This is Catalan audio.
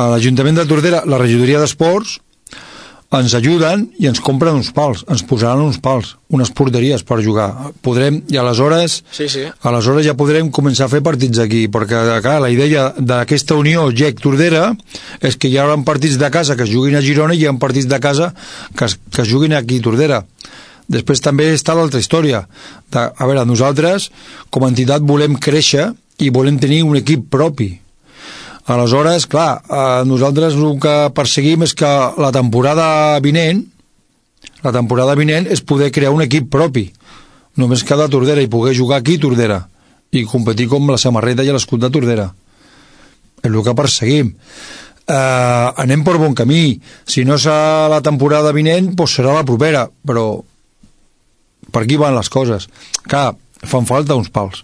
a l'Ajuntament de Tordera, la regidoria d'esports, ens ajuden i ens compren uns pals, ens posaran uns pals, unes porteries per jugar. Podrem, i aleshores ja podrem començar a fer partits aquí, perquè clar, la idea d'aquesta unió GEC-Tordera és que hi haurà partits de casa que es juguin a Girona i hi ha partits de casa que es juguin aquí a Tordera. Després també està l'altra història. A veure, nosaltres, com a entitat, volem créixer i volem tenir un equip propi. Aleshores, clar, nosaltres el que perseguim és que la temporada vinent és poder crear un equip propi, només que de Tordera, i poder jugar aquí a Tordera i competir com la samarreta i l'escut de Tordera. És el que perseguim. Anem per bon camí. Si no serà la temporada vinent, doncs serà la propera, però per aquí van les coses. Clar, fan falta uns pals.